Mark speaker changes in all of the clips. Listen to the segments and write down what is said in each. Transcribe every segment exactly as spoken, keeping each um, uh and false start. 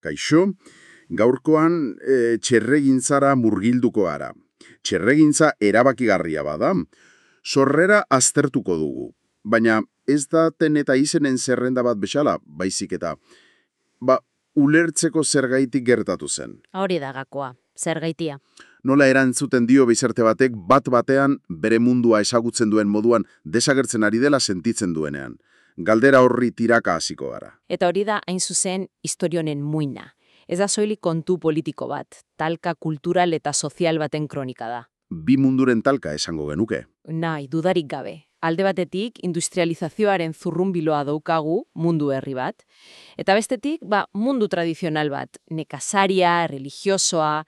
Speaker 1: Kaixo, gaurkoan e, txerregintzara murgilduko ara. Txerregintza erabakigarria bada, sorrera aztertuko dugu. Baina ez da ten eta izenen zerrenda bat bezala, baizik eta, ba, ulertzeko zergaitik gertatu zen.
Speaker 2: Hori da gakoa, zergaitia.
Speaker 1: Nola erantzuten dio bizarte batek bat batean bere mundua ezagutzen duen moduan desagertzen ari dela sentitzen duenean. Galdera horri tiraka hasiko gara.
Speaker 2: Eta hori da hain zuzen historionen muina. Ez da soilik kontu politiko bat, talka kultural eta sozial baten kronika da.
Speaker 1: Bi munduren talka esango genuke.
Speaker 2: Nahi, dudarik gabe. Alde batetik, industrializazioaren zurrunbiloa daukagu mundu herri bat, eta bestetik, ba, mundu tradizional bat, nekazaria, religiosoa,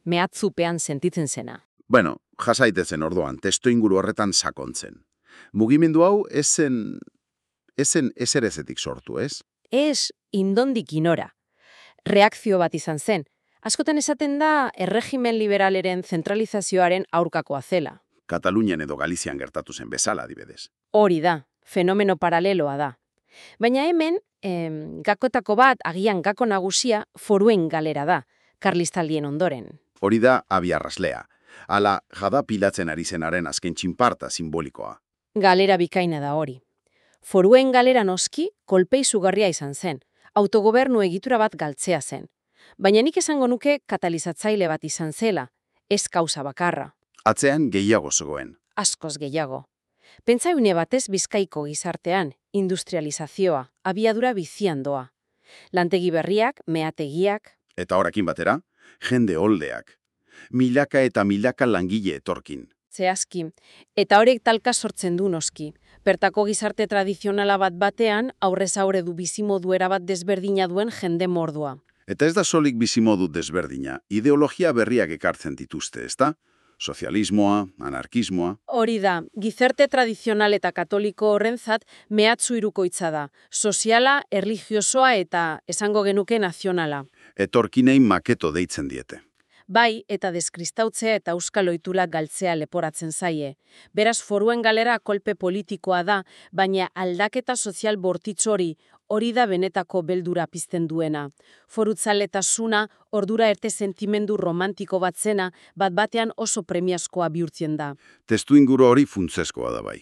Speaker 2: mehatzupean sentitzen zena.
Speaker 1: Bueno, jasaitezen orduan, testu inguru horretan sakontzen. Mugimendu hau ezen, ezen ezerezetik sortu, ez?
Speaker 2: Ez indondik inora. Reakzio bat izan zen. Askotan esaten da erregimen liberaleren zentralizazioaren aurkakoa zela.
Speaker 1: Katalunian edo Galizian gertatu zen bezala, adibidez.
Speaker 2: Hori da, fenomeno paraleloa da. Baina hemen, em, gakotako bat, agian gako nagusia, foruen galera da, karlistaldien ondoren.
Speaker 1: Hori da abiarraslea. Ala jada pilatzen ari zenaren azken txinparta simbolikoa.
Speaker 2: Galera bikaina da hori. Foruen galera noski, kolpe izugarria izan zen. Autogobernu egitura bat galtzea zen. Baina nik esango nuke katalizatzaile bat izan zela, ez kausa bakarra.
Speaker 1: Atzean gehiago zegoen.
Speaker 2: Askoz gehiago. Pentsa une batez Bizkaiko gizartean, industrializazioa, abiadura bizian doa. Lantegi berriak, meategiak.
Speaker 1: Eta horakin batera, jende oldeak. Milaka eta milaka langile etorkin.
Speaker 2: Zehazki. Eta horiek talka sortzen du noski. Bertako gizarte tradizionala bat batean, aurrez aurre du bizimodu erabat desberdina duen jende mordua.
Speaker 1: Eta ez da solik bizimodu desberdina, ideologia berriak ekartzen dituzte, ezta? Sozialismoa, anarkismoa.
Speaker 2: Hori da, gizarte tradizional eta katoliko horrentzat mehatzu hirukoitza da. Soziala, erlijiosoa eta esango genuke nazionala.
Speaker 1: Etorkinei maketo deitzen diete.
Speaker 2: Bai, eta deskristautzea eta euskal ohiturak galtzea leporatzen zaie. Beraz, foruen galera kolpe politikoa da, baina aldaketa sozial bortitz hori, hori da benetako beldura pizten duena. Forutzaletasuna, ordura erte sentimendu romantiko bat zena, bat batean oso premiazkoa bihurtzen da.
Speaker 1: Testu inguru hori funtsezkoa da bai.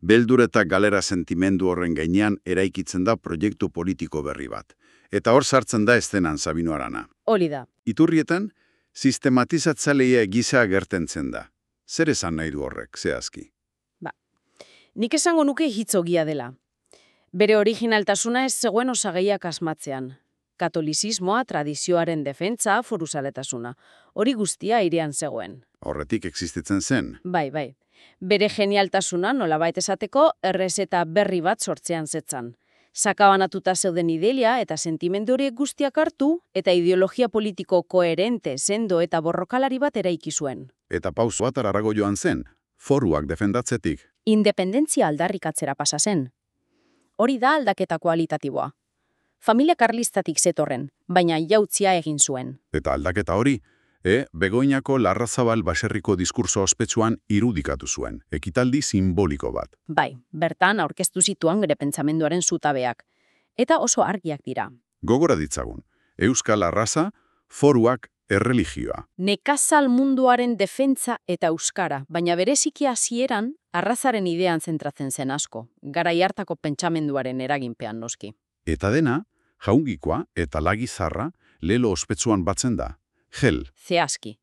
Speaker 1: Beldur eta galera sentimendu horren gainean eraikitzen da proiektu politiko berri bat. Eta hor sartzen da estenan Sabino Arana.
Speaker 2: Hori da.
Speaker 1: Iturrietan, sistematizatzailea gisa agertzen da. Zer esan nahi du horrek, zehazki?
Speaker 2: Ba, nik esango nuke hitzogia dela. Bere originaltasuna ez zegoen osagaiak asmatzean. Katolizismoa, tradizioaren defentsa, foruzaletasuna. Hori guztia airean zegoen.
Speaker 1: Horretik existitzen zen.
Speaker 2: Bai, bai. Bere genialtasuna nolabait esateko errezeta berri bat sortzean zetzan. Sakabanatuta zeuden ideia eta sentimendu horiek guztiak hartu eta ideologia politiko koherente, sendo eta borrokalari bat eraiki zuen.
Speaker 1: Eta pauso bat ararago joan zen, foruak defendatzetik.
Speaker 2: Independentzia aldarrikatzera pasa zen. Hori da aldaketa kualitatiboa. Familia karlistatik zetorren, baina jautzia egin zuen.
Speaker 1: Eta aldaketa hori, e, Begoñako Larrazabal baserriko diskurso ospetsuan irudikatu zuen, ekitaldi simboliko bat.
Speaker 2: Bai, bertan aurkeztu zituan bere pentsamenduaren zutabeak. Eta oso argiak dira.
Speaker 1: Gogora ditzagun, Euskal Arraza, foruak, erreligioa.
Speaker 2: Nekazal munduaren defentsa eta euskara, baina bereziki hasieran arrazaren idean zentratzen zen asko, garai hartako pentsamenduaren eraginpean noski.
Speaker 1: Eta dena, jaungikoa eta lagizarra lelo ospetsuan batzen da. Gel.
Speaker 2: Zehazki.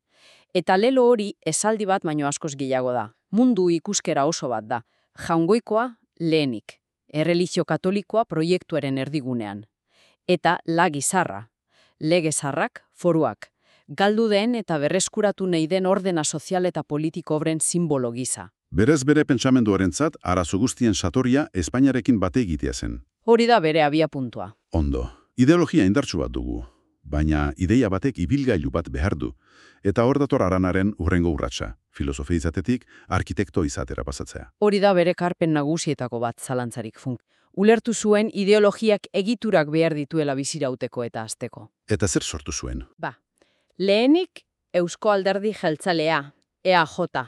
Speaker 2: Eta lelo hori esaldi bat baino askoz gehiago da. Mundu ikuskera oso bat da. Jaungoikoa lehenik. Erreligio katolikoa proiektuaren erdigunean. Eta lagizarra. Legezarrak, foruak. Galdu den eta berreskuratu nahi den ordena sozial eta politiko obren simbolo gisa.
Speaker 1: Berez bere pentsamenduarentzat arazo guztien satoria Espainiarekin bate egitea zen.
Speaker 2: Hori da bere abia puntua.
Speaker 1: Ondo. Ideologia indartsu bat dugu. Baina ideia batek ibilgailu bat behar du. Eta hor dator Aranaren hurrengo urratsa, filosofia izatetik arkitekto izatera pasatzea.
Speaker 2: Hori da bere karpen nagusietako bat zalantzarik funk. Ulertu zuen ideologiak egiturak behar dituela bizirauteko eta azteko.
Speaker 1: Eta zer sortu zuen?
Speaker 2: Ba, lehenik Eusko Alderdi Jeltzalea, E A J,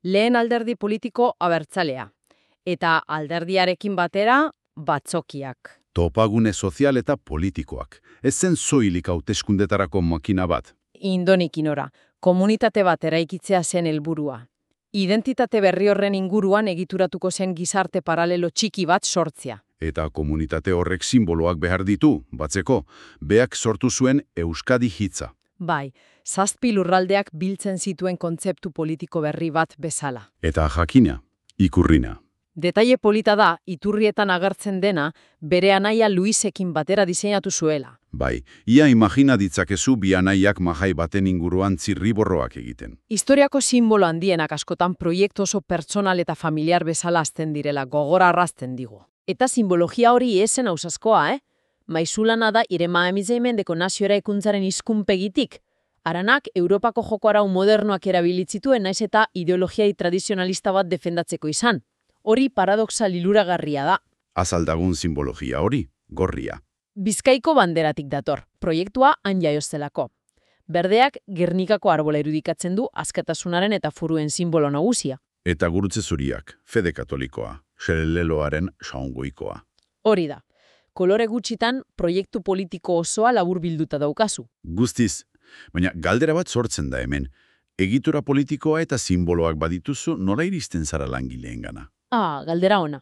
Speaker 2: lehen alderdi politiko abertzalea, eta alderdiarekin batera batzokiak,
Speaker 3: Topagune sozial eta politikoak. Ez zen soilik hauteskundetarako makina bat.
Speaker 2: Indonik inora, komunitate bat eraikitzea zen helburua. Identitate berri horren inguruan egituratuko zen gizarte paralelo txiki bat sortzea.
Speaker 3: Eta komunitate horrek simboloak behar ditu, batzeko, beak sortu zuen Euskadi hitza.
Speaker 2: Bai, zazpi lurraldeak biltzen zituen kontzeptu politiko berri bat bezala.
Speaker 3: Eta jakina, ikurrina.
Speaker 2: Detaile polita da, iturrietan agertzen dena, bere anaia Luisekin batera diseinatu zuela.
Speaker 3: Bai, ia imagina ditzakezu bi anaiak mahai baten inguruan zirriborroak egiten.
Speaker 2: Historiako simbolo handienak askotan proiektu oso pertsonal eta familiar bezala azten direla gogora arrazten digu. Eta simbologia hori esen ausazkoa, eh? Maizulana da irema emizeimendeko nazioera ikuntzaren izkunpegitik. Aranak Europako joko arau modernoak erabilitzituen naiz eta ideologiai tradizionalista bat defendatzeko izan. Hori paradoxa liluragarria da.
Speaker 3: Azaldagun simbologia hori, gorria.
Speaker 2: Bizkaiko banderatik dator, proiektua han jaioztelako. Berdeak Gernikako arbola irudikatzen du askatasunaren eta furuen simbolo nagusia.
Speaker 3: Eta gurutze zuriak, fede katolikoa, xeleleloaren saungoikoa.
Speaker 2: Hori da. Kolore gutxitan proiektu politiko osoa labur bilduta daukazu.
Speaker 3: Guztiz, baina galdera bat sortzen da hemen. Egitura politikoa eta simboloak badituzu nola iristen zara langileengana.
Speaker 2: Ah, galdera ona.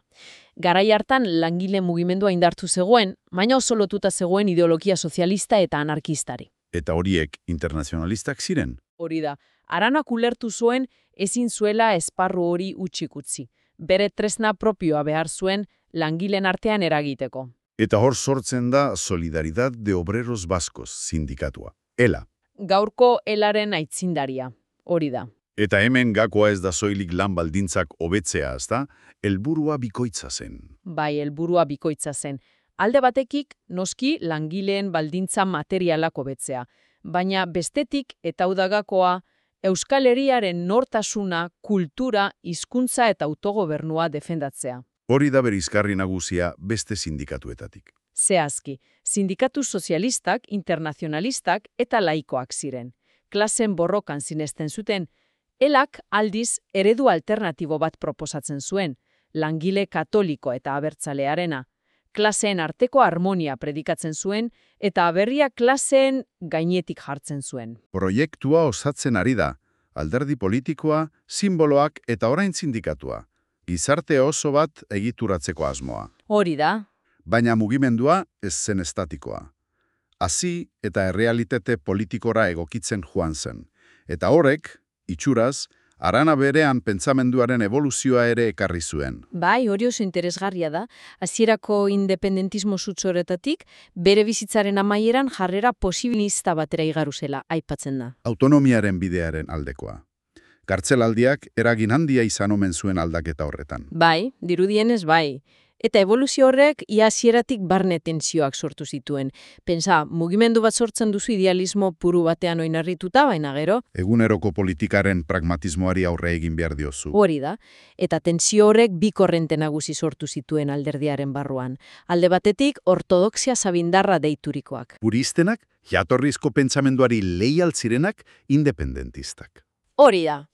Speaker 2: Garai hartan langile mugimendua indartu zegoen, baina oso lotuta zegoen ideologia sozialista eta anarkistari.
Speaker 3: Eta horiek internazionalistak ziren.
Speaker 2: Hori da, Aranak ulertu zuen ezin zuela esparru hori utxik utzi. Bere tresna propioa behar zuen langileen artean eragiteko.
Speaker 3: Eta hor sortzen da Solidaridad de Obreros Vascos sindikatua. Ela.
Speaker 2: Gaurko elaren aitzindaria. Hori da.
Speaker 3: Eta hemen gakoa ez da soilik lan baldintzak hobetzea, ezta? Helburua bikoitza zen.
Speaker 2: Bai, helburua bikoitza zen. Alde batekik, noski langileen baldintza materialak hobetzea. Baina bestetik eta udagakoa, Euskal Herriaren nortasuna, kultura, hizkuntza eta autogobernua defendatzea.
Speaker 3: Hori da berizkarri nagusia beste sindikatuetatik.
Speaker 2: Zehazki, sindikatu sozialistak, internazionalistak eta laikoak ziren. Klasen borrokan sinesten zuten, elak aldiz eredu alternatibo bat proposatzen zuen, langile katoliko eta abertzalearena. Klaseen arteko harmonia predikatzen zuen eta aberria klaseen gainetik jartzen zuen.
Speaker 3: Proiektua osatzen ari da, alderdi politikoa, simboloak eta orain sindikatua. Gizarte oso bat egituratzeko asmoa.
Speaker 2: Hori da.
Speaker 3: Baina mugimendua ez zen estatikoa. Hazi eta errealitate politikora egokitzen joan zen. Eta horrek, itxuraz, Arana berean pentsamenduaren evoluzioa ere ekarri zuen.
Speaker 2: Bai, hori oso interesgarria da. Hasierako independentismo sutzoretatik, bere bizitzaren amaieran jarrera posibilista batera igaru zela, aipatzen da.
Speaker 3: Autonomiaren bidearen aldekoa. Kartzelaldiak eragin handia izan omen zuen aldaketa horretan.
Speaker 2: Bai, dirudienez bai. Eta evoluzio horrek ia hasieratik barne tentsioak sortu zituen. Pensa, mugimendu bat sortzen duzu idealismo puru batean oinarrituta, baina gero.
Speaker 3: Eguneroko politikaren pragmatismoari aurre egin behar diozu.
Speaker 2: Hori da. Eta tentsio horrek bi korrente nagusi sortu zituen alderdiaren barruan. Alde batetik, ortodoxia sabindarra deiturikoak.
Speaker 3: Puristenak, jatorrizko pentsamenduari leial zirenak, independentistak.
Speaker 2: Hori da.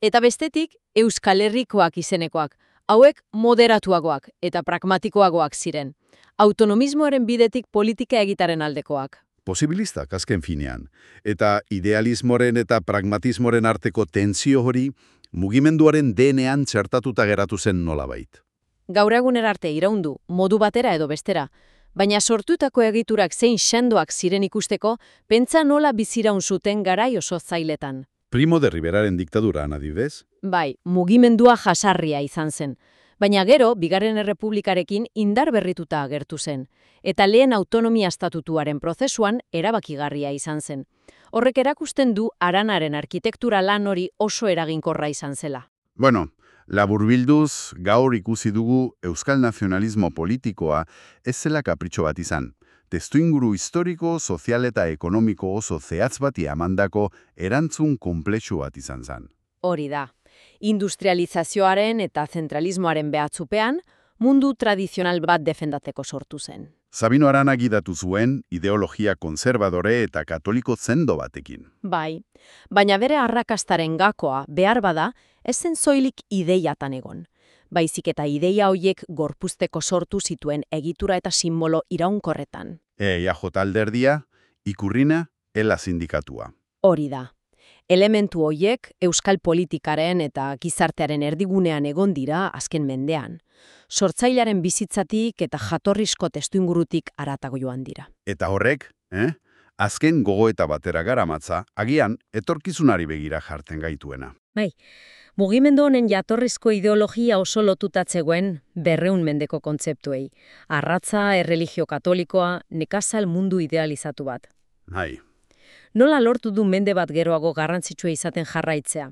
Speaker 2: Eta bestetik, Euskal Herrikoak izenekoak. Hauek moderatuagoak eta pragmatikoagoak ziren. Autonomismoaren bidetik politika egitaren aldekoak.
Speaker 3: Posibilistak azken finean. Eta idealismoren eta pragmatismoren arteko tentsio hori mugimenduaren D N A-an txertatuta geratu zen nolabait.
Speaker 2: Gaur eguner arte iraundu, modu batera edo bestera. Baina sortutako egiturak zein sendoak ziren ikusteko, pentsa nola biziraun zuten garai oso zailetan.
Speaker 3: Primo de Riveraren diktaduran adibidez?
Speaker 2: Bai, mugimendua jasarria izan zen. Baina gero, Bigarren Errepublikarekin indar berrituta agertu zen. Eta lehen autonomia estatutuaren prozesuan erabakigarria izan zen. Horrek erakusten du Aranaren arkitektura lan hori oso eraginkorra izan zela.
Speaker 3: Bueno, laburbilduz, gaur ikusi dugu euskal nazionalismo politikoa ez zela kapritxo bat izan. Testuinguru historiko, sozial eta ekonomiko oso zehatz bati amandako erantzun konplexu bat izan zen.
Speaker 2: Hori da. Industrializazioaren eta zentralismoaren behatzupean, mundu tradizional bat defendatzeko sortu zen.
Speaker 3: Sabino Arana gidatu zuen ideologia konservadore eta katoliko zendo batekin.
Speaker 2: Bai, baina bere arrakastaren gakoa behar bada, ez zen soilik ideiatan egon. baizik eta ideia hoiek gorpuzteko sortu zituen egitura eta simbolo iraunkorretan.
Speaker 3: E I A J alderdia, ikurrina, ela sindikatua.
Speaker 2: Hori da. Elementu hoiek euskal politikaren eta gizartearen erdigunean egon dira azken mendean. Sortzailaren bizitzatik eta jatorrizko testuingurutik haratago joan dira.
Speaker 3: Eta horrek, eh? Azken gogoeta batera garamatza, agian etorkizunari begira jartzen gaituena.
Speaker 4: Bai, mugimendu honen jatorrizko ideologia oso lotutatzegoen berreun mendeko kontzeptuei. Arratza, erreligio katolikoa, nekazal mundu idealizatu bat.
Speaker 3: Bai.
Speaker 4: Nola lortu du mende bat geroago garrantzitsua izaten jarraitzea?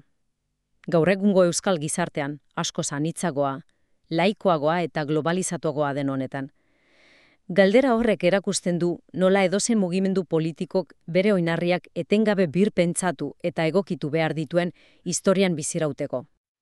Speaker 4: Gaur egungo euskal gizartean, asko anitzagoa, laikoagoa eta globalizatuagoa den honetan. Galdera horrek erakusten du nola edozen mugimendu politikok bere oinarriak etengabe birpentsatu eta egokitu behar dituen historian bizirauteko.